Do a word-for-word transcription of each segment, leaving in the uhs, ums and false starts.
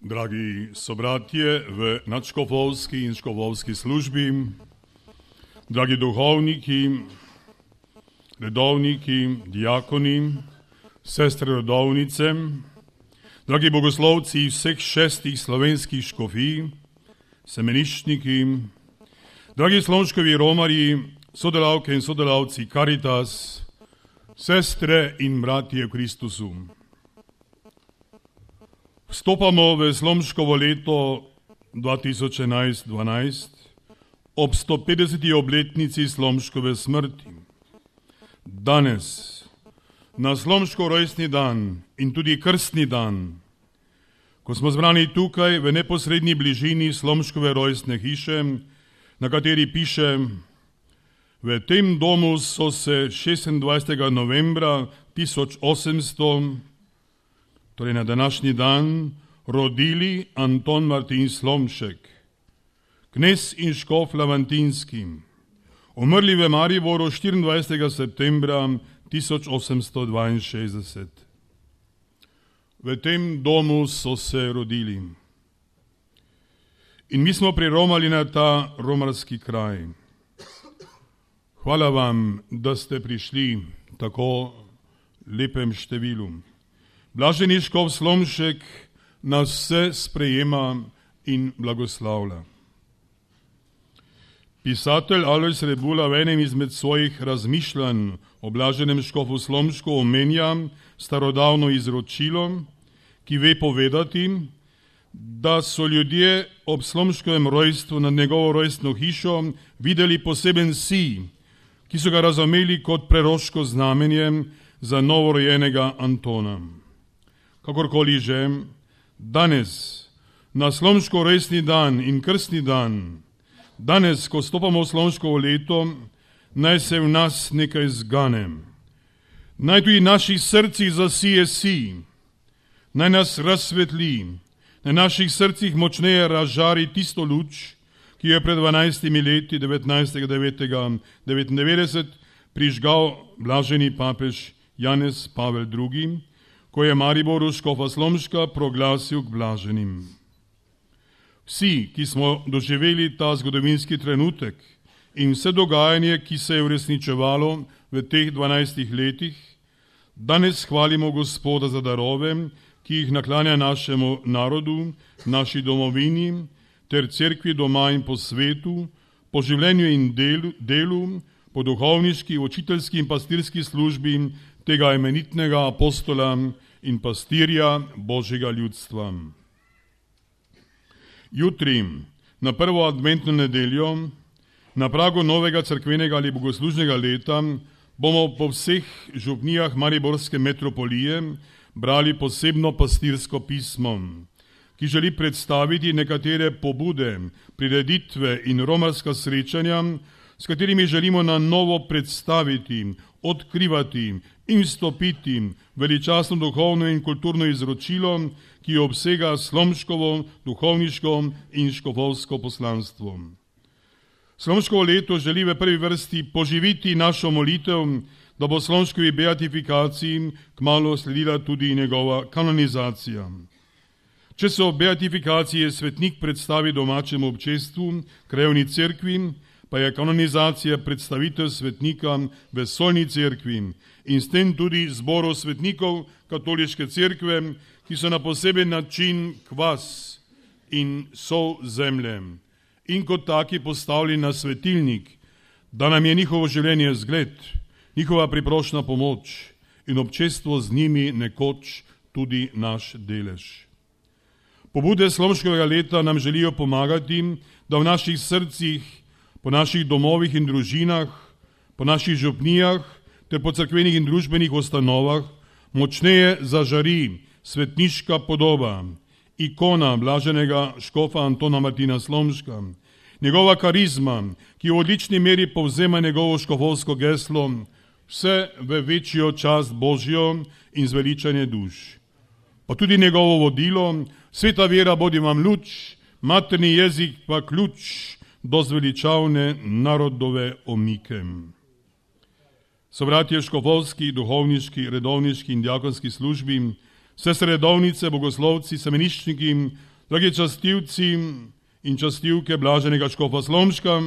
Dragi sobratje v nadškofovski in škofovski službi, dragi duhovniki, redovniki, diakoni, sestre redovnice, dragi bogoslovci vseh šestih slovenskih škofij, semeniščniki, dragi slomškovi romarji, sodelavke in sodelavci Caritas, sestre in bratje v Kristusu. Vstopamo v slomškovo leto dva tisoč enajst dvanajst ob sto petdeseti obletnici slomškove smrti. Danes, na slomško rojstni dan in tudi krstni dan, ko smo zbrani tukaj v neposrednji bližini slomškove rojstne hiše, na kateri piše: v tem domu so se šestindvajsetega novembra tisoč osemsto, torej na današnji dan, rodili Anton Martin Slomšek, knez in škof Lamantinski, umrli v Mariboru štiriindvajsetega septembra tisoč osemsto dvainšestdeset. V tem domu so se rodili. In mi smo priromali na ta romarski kraj. Hvala vam, da ste prišli tako lepem številu. Blaženi škof Slomšek nas vse sprejema in blagoslavlja. Pisatelj Alojz Rebula v enem izmed svojih razmišljanj o blaženem škofu Slomšku omenja starodavno izročilo, ki ve povedati, da so ljudje ob Slomškovem rojstvu nad njegovo rojstno hišo videli poseben sij, ki so ga razumeli kot preroško znamenje za novorojenega Antona. Kakorkoli že, danes, na slomško rojstni dan in krstni dan, danes, ko stopamo v slomškovo leto, naj se v nas nekaj zgane. Naj tudi naših srcih zasije sij, naj nas razsvetli, naj naših srcih močneje razžari tisto luč, ki je pred dvanajstimi leti, devetnajstega devetega devetindevetdeset, prižgal blaženi papež Janez Pavel drugi, ko je Mariboru škofa Slomška proglasil k blaženim. Vsi, ki smo doživeli ta zgodovinski trenutek in vse dogajanje, ki se je uresničevalo v teh dvanajstih letih, danes hvalimo Gospoda za darove, ki jih naklanja našemu narodu, naši domovini, ter cerkvi doma in po svetu, po življenju in delu, delu po duhovniški, učiteljski in pastirski službi tega imenitnega apostola in pastirja Božjega ljudstva. Jutri, na prvo adventno nedeljo, na pragu novega cerkvenega ali bogoslužnega leta, bomo po vseh župnijah mariborske metropolije brali posebno pastirsko pismo, ki želi predstaviti nekatere pobude, prireditve in romarska srečanja, s katerimi želimo na novo predstaviti, odkrivati in vstopiti veličastno duhovno in kulturno izročilo, ki obsega slomškovo, duhovniško in škofovsko poslanstvo. Slomškovo leto želi v prvi vrsti poživiti našo molitev, da bo slomškovi beatifikaciji kmalu sledila tudi njegova kanonizacija. Če se ob beatifikaciji svetnik predstavi domačemu občestvu, krajevni cerkvi, pa je kanonizacija predstavitev svetnika v solni cerkvi in s tem tudi zboru svetnikov katoliške cerkve, ki so na poseben način kvas in sol zemlje in kot taki postavljeni na svetilnik, da nam je njihovo življenje zgled, njihova priprošna pomoč in občestvo z njimi nekoč tudi naš delež. Pobude slomškovega leta nam želijo pomagati, da v naših srcih, po naših domovih in družinah, po naših župnijah ter po cerkvenih in družbenih ustanovah močneje zažari svetniška podoba, ikona blaženega škofa Antona Martina Slomška, njegova karizma, ki v odlični meri povzema njegovo škofovsko geslo, vse v večjo čast Božjo in zveličanje duš. Pa tudi njegovo vodilo, sveta vera bodi vam luč, materni jezik pa ključ do zveličavne narodove omike. Sobratje škofovski, duhovniški, redovniški in diakonski službi, sestre redovnice, bogoslovci, semeniščniki, Dragi častivci in častivke blaženega škofa Slomška,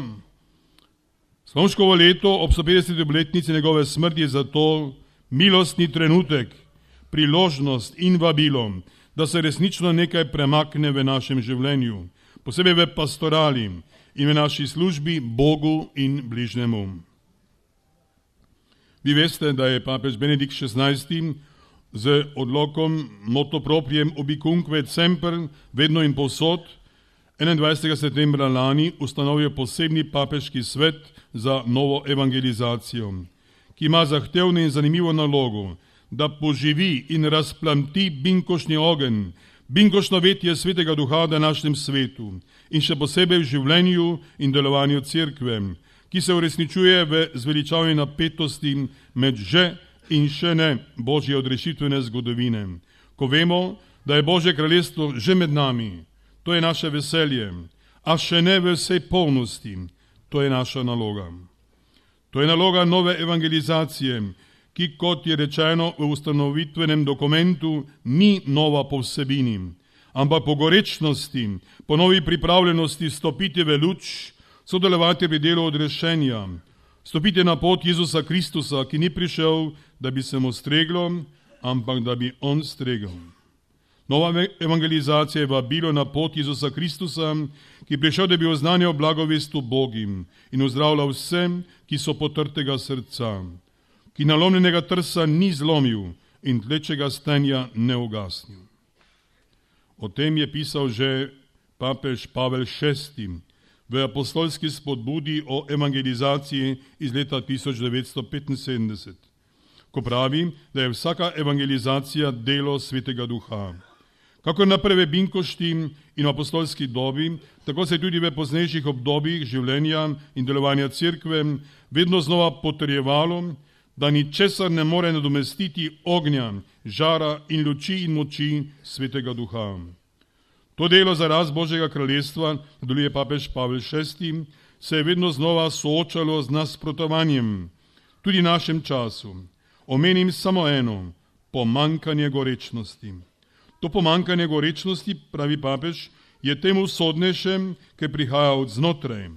Slomškovo leto ob sto petdeseti obletnici njegove smrti je zato milostni trenutek, priložnost in vabilo, da se resnično nekaj premakne v našem življenju, posebej v pastorali in v naši službi Bogu in bližnjemu. Vi veste, da je papež Benedikt šestnajsti z odlokom motu propriem ubicunque et semper, vedno in povsod, enaindvajsetega septembra lani ustanovil posebni papeški svet za novo evangelizacijo, ki ima zahtevno in zanimivo nalogo, da poživi in razplamti binkošni ogenj, binkošno vetje Svetega Duha v današnjem svetu in še posebej v življenju in delovanju cerkve, ki se uresničuje v zveličavni napetosti med že in še ne Božje odrešitvene zgodovine. Ko vemo, da je Božje kraljestvo že med nami, to je naše veselje, a še ne v vsej polnosti, to je naša naloga. To je naloga nove evangelizacije, ki, kot je rečeno v ustanovitvenem dokumentu, ni nova po vsebini, ampak po gorečnosti, po novi pripravljenosti stopiti v luč, sodelovati pri delu odrešenja, stopiti na pot Jezusa Kristusa, ki ni prišel, da bi se mu streglo, ampak da bi on stregel. Nova evangelizacija je vabilo na pot Jezusa Kristusa, ki je prišel, da bi oznanjal blagovest Bogim in ozdravljal vsem, ki so potrtega srca, ki nalomljenega trsa ni zlomil in tlečega stenja ne ugasnil. O tem je pisal že papež Pavel šesti v apostolski spodbudi o evangelizaciji iz leta tisoč devetsto petinsedemdeset, ko pravi, da je vsaka evangelizacija delo Svetega Duha. Kakor na prve binkošti in apostolski dobi, tako se je tudi v poznejših obdobjih življenja in delovanja cerkve vedno znova potrjevalo, da ničesar ne more nadomestiti ognja, žara in luči in moči Svetega Duha. To delo za rast Božjega kraljestva, nadaljuje papež Pavel šesti, se je vedno znova soočalo z nasprotovanjem, tudi v našem času. Omenim samo eno, pomankanje gorečnosti. To pomankanje gorečnosti, pravi papež, je temu sodnejšem, ki prihaja od znotraj.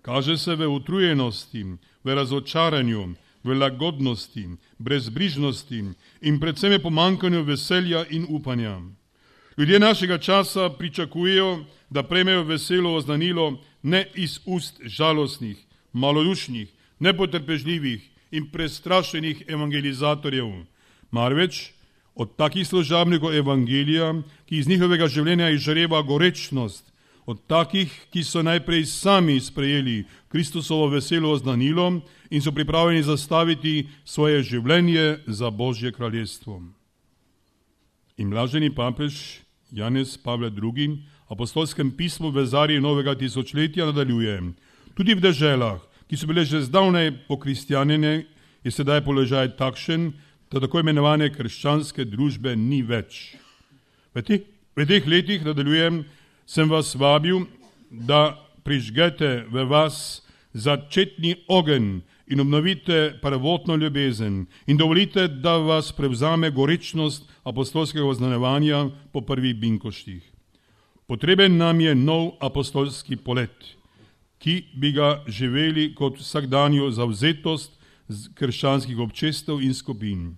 Kaže se v utrujenosti, v razočaranju, v lagodnosti, brezbrižnosti in predvsem je pomankanju veselja in upanja. Ljudje našega časa pričakujejo, da prejmejo veselo oznanilo ne iz ust žalostnih, malodušnih, nepotrpežljivih in prestrašenih evangelizatorjev, marveč od takih služabnikov evangelija, ki iz njihovega življenja izžareva gorečnost, od takih, ki so najprej sami sprejeli Kristusovo veselo oznanilo in so pripravljeni zastaviti svoje življenje za Božje kraljestvo. In blaženi papež Janez Pavel drugi. apostolskem pismu v zarji novega tisočletja nadaljuje. Tudi v deželah, ki so bile že zdavnaj pokristjanjene, je sedaj položaj takšen, da tako imenovane krščanske družbe ni več. V teh, v teh letih, nadaljujem, sem vas vabil, da prižgete v vas začetni ogenj in obnovite prvotno ljubezen in dovolite, da vas prevzame gorečnost apostolskega oznanjevanja po prvih binkoštih. Potreben nam je nov apostolski polet, ki bi ga živeli kot vsakdanjo zavzetost krščanskih občestev in skupin.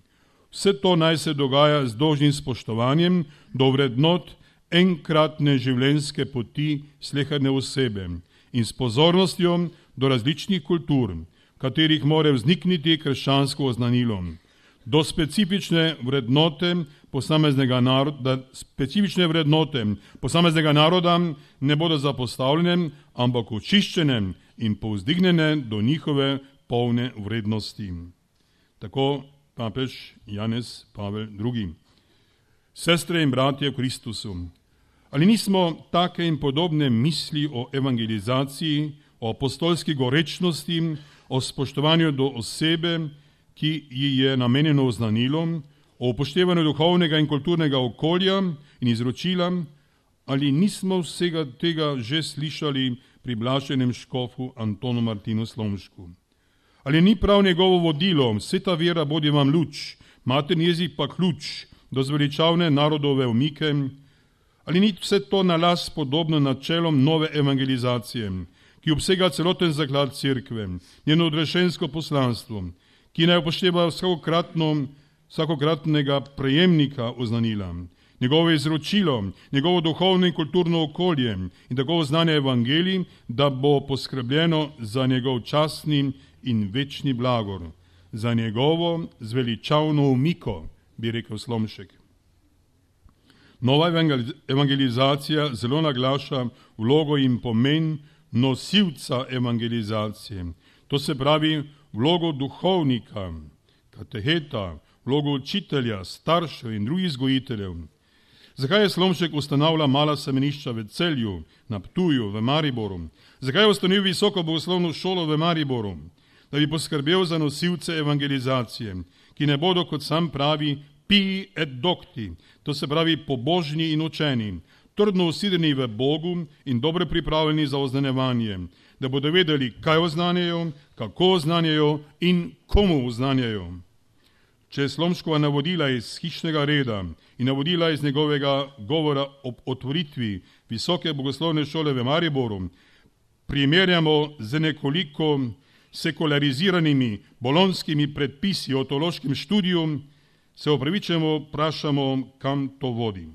Vse to naj se dogaja z dolžnim spoštovanjem do vrednot enkratne življenjske poti sleherne osebe in s pozornostjo do različnih kultur, katerih more vznikniti krščansko oznanilo, do specifične vrednote posameznega naroda, specifične vrednote posameznega naroda ne bodo zapostavljene, ampak očiščene in povzdignjene do njihove polne vrednosti. Tako papež Janez Pavel drugi. Sestre in bratje v Kristusu, ali nismo take in podobne misli o evangelizaciji, o apostolski gorečnosti, o spoštovanju do osebe, ki ji je namenjeno oznanilo, o upoštevanju duhovnega in kulturnega okolja in izročila, ali nismo vsega tega že slišali pri blaženem škofu Antonu Martinu Slomšku? Ali ni prav njegovo vodilo, vse ta vera bodi vam luč, materni jezik pa ključ do zveličavne narodove umike? Ali ni vse to na las podobno načelom nove evangelizacije, ki obsega celoten zaklad cerkve, njeno odrešensko poslanstvo, ki naj upošteva vsakokratno, vsakokratnega prejemnika oznanila, njegovo izročilo, njegovo duhovno in kulturno okolje in tako znanje evangelij, da bo poskrbljeno za njegov častni in večni blagor, za njegovo zveličavno umiko, bi rekel Slomšek. Nova evangelizacija zelo naglaša vlogo in pomen nosilca evangelizacije. To se pravi vlogo duhovnika, kateheta, vlogo učitelja, staršev in drugih vzgojiteljev. Zakaj je Slomšek ustanavlja mala semenišča v Celju, na Ptuju, v Mariboru? Zakaj je ustanovil visoko bogoslovno šolo v Mariboru? Da bi poskrbel za nosilce evangelizacije, ki ne bodo, kot sam pravi, pii et docti, to se pravi pobožni in učeni, trdno usidreni v Bogu in dobro pripravljeni za oznanjevanje, da bodo vedeli, kaj oznanjajo, kako oznanjajo in komu oznanjajo. Če Slomškova navodila iz hišnega reda in navodila iz njegovega govora ob otvoritvi visoke bogoslovne šole v Mariboru primerjamo z nekoliko sekulariziranimi bolonskimi predpisi o teološkem študiju, se upravičeno vprašamo, kam to vodi.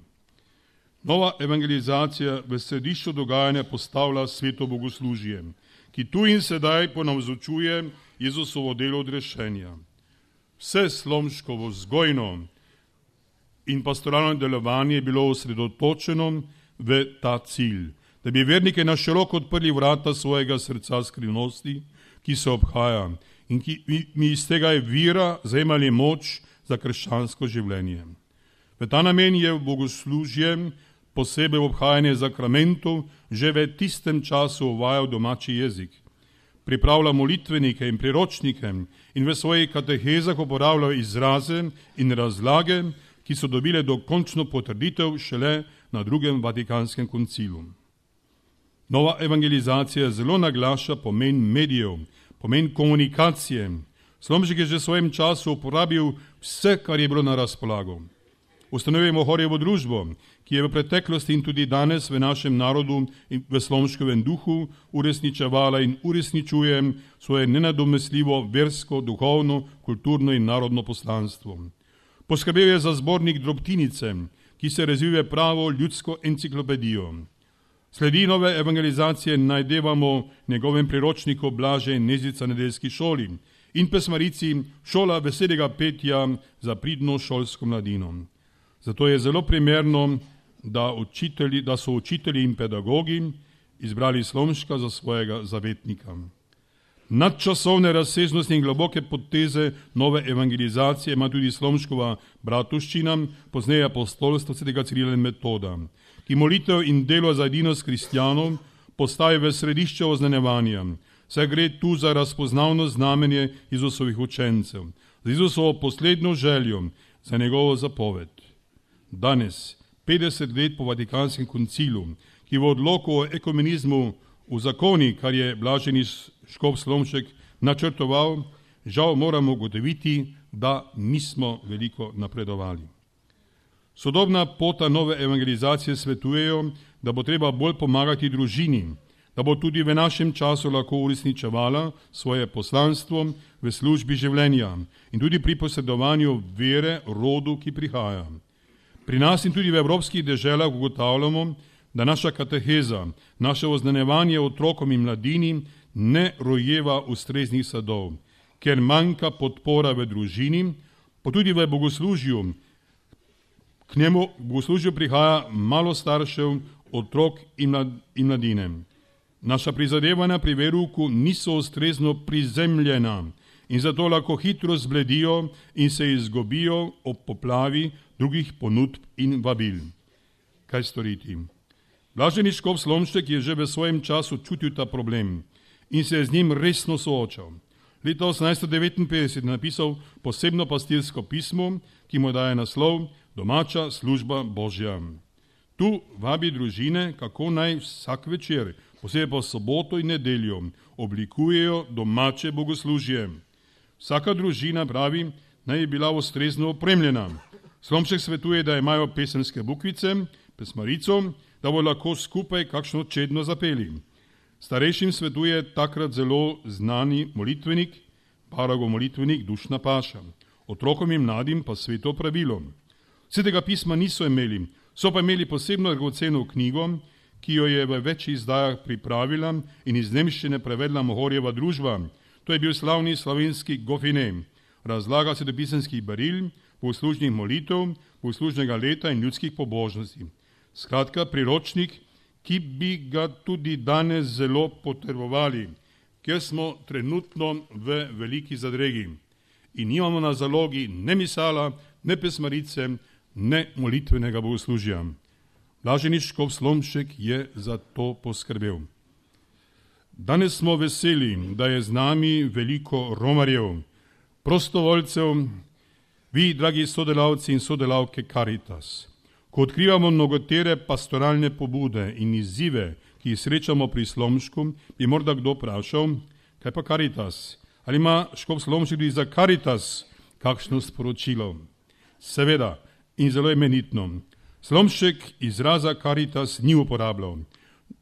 Nova evangelizacija v središču dogajanja postavlja sveto bogoslužje, ki tu in sedaj ponavzočuje Jezusovo delo odrešenja. Vse Slomškovo vzgojno in pastoralno delovanje je bilo osredotočeno v ta cilj, da bi vernike na široko odprli vrata svojega srca skrivnosti, ki se obhaja in ki mi iz tega je vira zajemali moč za krščansko življenje. V ta namen je v bogoslužje, posebej v obhajanje zakramentov, že v tistem času uvajal domači jezik. Pripravlja molitvenike in priročnike in v svojih katehezah uporabljal izraze in razlage, ki so dobile dokončno potrditev šele na drugem Vatikanskem koncilu. Nova evangelizacija zelo naglaša pomen medijev, pomen komunikacije. Slomšek je že v svojem času uporabil vse, kar je bilo na razpolago. Ustanovimo Horjevo družbo, ki je v preteklosti in tudi danes v našem narodu in v Slomškovem duhu uresničevala in uresničuje svoje nenadomestljivo versko, duhovno, kulturno in narodno poslanstvo. Poskrbel je za zbornik Drobtinice, ki se razvije pravo ljudsko enciklopedijo. Sledi nove evangelizacije najdevamo njegovem priročniku Blaže in Nezica nedeljski šoli in pesmarici Šola veselega petja za pridno šolsko mladino. Zato je zelo primerno, da, učitelji, da so učitelji in pedagogi izbrali Slomška za svojega zavetnika. Nadčasovne razsežnosti in globoke poteze nove evangelizacije ima tudi Slomškova bratovščina, pozneje apostolstvo svetega Cirila in Metoda, ki molitev in delo za edinost kristjanov postavi v središče oznanjevanja, saj gre tu za razpoznavno znamenje Jezusovih učencev, za Jezusovo poslednjo željo, za njegovo zapoved. Danes, petdeset let po Vatikanskem koncilu, ki v odloku o ekumenizmu v zakoni, kar je blaženi škof Slomšek načrtoval, žal moramo ugotoviti, da nismo veliko napredovali. Sodobna pota nove evangelizacije svetujejo, da bo treba bolj pomagati družini, da bo tudi v našem času lahko uresničevala svoje poslanstvo v službi življenja in tudi pri posredovanju vere rodu, ki prihaja. Pri nas in tudi v evropskih deželah ugotavljamo, da naša kateheza, naše oznanjevanje otrokom in mladini ne rojeva ustreznih sadov, ker manjka podpora v družini, pa tudi v bogoslužju. K njemu bogoslužju prihaja malo staršev, otrok in mladine. Naša prizadevanja pri verouku niso ustrezno prizemljena in zato lahko hitro zbledijo in se izgubijo ob poplavi drugih ponudb in vabil. Kaj storiti? Blaženi škof Slomšek je že v svojem času čutil ta problem in se je z njim resno soočal. Leta osemnajststo devetinpetdeset je napisal posebno pastirsko pismo, ki mu daje naslov Domača služba Božja. Tu vabi družine, kako naj vsak večer, posebej pa soboto in nedeljo, oblikujejo domače bogoslužje. Vsaka družina, pravi, naj je bila ustrezno opremljena. Slomšek svetuje, da imajo pesemske bukvice, pesmarico, da bo lahko skupaj kakšno čedno zapeli. Starejšim svetuje takrat zelo znani molitvenik, Paragov molitvenik Dušna Paša. Otrokom in mladim pa sveto pravilo. Svetega pisma niso imeli, so pa imeli posebno dragoceno knjigo, ki jo je v več izdajah pripravila in iz nemščine prevedla Mohorjeva družba. To je bil slavni slovenski Gofine, razlaga svetopisemskih beril, bogoslužnih molitev, bogoslužnega leta in ljudskih pobožnosti. Skratka, priročnik, ki bi ga tudi danes zelo potrebovali, ker smo trenutno v veliki zadregi in nimamo na zalogi ne misala, ne pesmarice, ne molitvenega bogoslužja. Blaženi škof Slomšek je za to poskrbel. Danes smo veseli, da je z nami veliko romarjev, prostovoljcev, vi, dragi sodelavci in sodelavke Caritas. Ko odkrivamo mnogotere pastoralne pobude in izzive, ki jih srečamo pri Slomšku, bi morda kdo vprašal, kaj pa Caritas? Ali ima škof Slomšek tudi za Caritas kakšno sporočilo? Seveda, in zelo imenitno. Slomšek izraza Caritas ni uporabljal.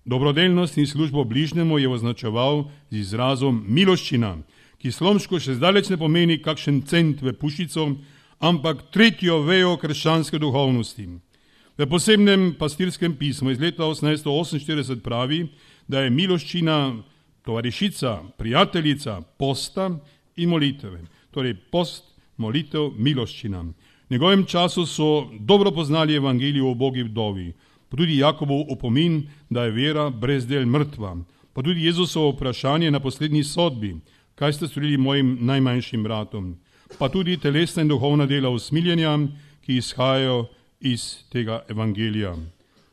Dobrodelnost in službo bližnjemu je označeval z izrazom miloščina, ki Slomšku še zdaleč ne pomeni kakšen cent v pušico, ampak tretjo vejo krščanske duhovnosti. V posebnem pastirskem pismu iz leta osemnajststo oseminštirideset pravi, da je miloščina tovarišica, prijateljica posta in molitve. Torej post, molitev, miloščina. V njegovem času so dobro poznali evangelijo o ubogi vdovi, pa tudi Jakobov opomin, da je vera brez del mrtva, pa tudi Jezusovo vprašanje na poslednji sodbi, kaj ste storili mojim najmanjšim bratom, pa tudi telesna in duhovna dela usmiljenja, ki izhajajo iz tega evangelija.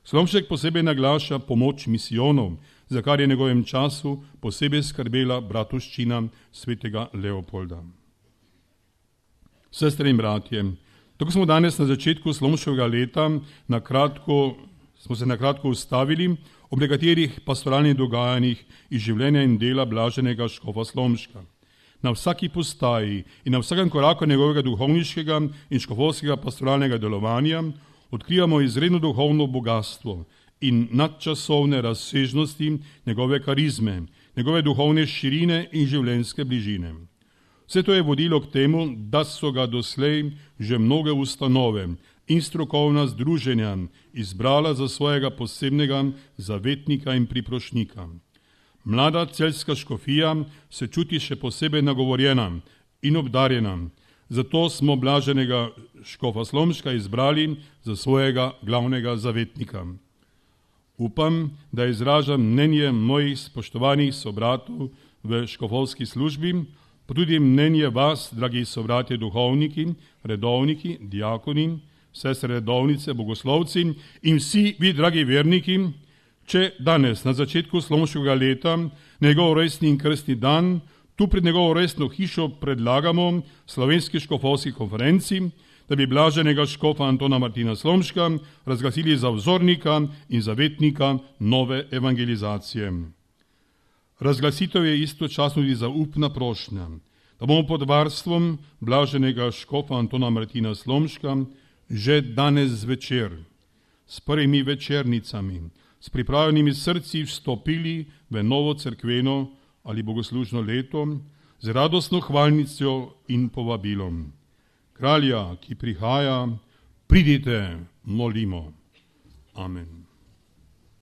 Slomšek posebej naglaša pomoč misijonov, za kar je v njegovem času posebej skrbela bratovščina svetega Leopolda. Sestre in bratje, tako smo danes na začetku Slomškovega leta na kratko, smo se na kratko ustavili ob nekaterih pastoralnih dogajanjih iz življenja in dela blaženega škofa Slomška. Na vsaki postaji in na vsakem koraku njegovega duhovniškega in škofovskega pastoralnega delovanja odkrivamo izredno duhovno bogatstvo in nadčasovne razsežnosti njegove karizme, njegove duhovne širine in življenjske bližine. Vse to je vodilo k temu, da so ga doslej že mnoge ustanove in strokovna združenja izbrala za svojega posebnega zavetnika in priprošnika. Mlada celjska škofija se čuti še posebej nagovorjena in obdarjena, zato smo blaženega škofa Slomška izbrali za svojega glavnega zavetnika. Upam, da izražam mnenje mojih spoštovanih sobratov v škofovski službi, pa tudi mnenje vas, dragi sobratje duhovniki, redovniki, diakoni, sestre redovnice, bogoslovci in vsi vi, dragi verniki, če danes, na začetku Slomškovega leta, njegov rojstni in krstni dan, tu pred njegovo rojstno hišo predlagamo Slovenski škofovski konferenci, da bi blaženega škofa Antona Martina Slomška razglasili za vzornika in zavetnika nove evangelizacije. Razglasitev je istočasno tudi zaupna prošnja, da bomo pod varstvom blaženega škofa Antona Martina Slomška že danes zvečer s prvimi večernicami, s pripravljenimi srci vstopili v novo cerkveno ali bogoslužno leto z radostno hvalnico in povabilom. Kralja, ki prihaja, pridite, molimo. Amen.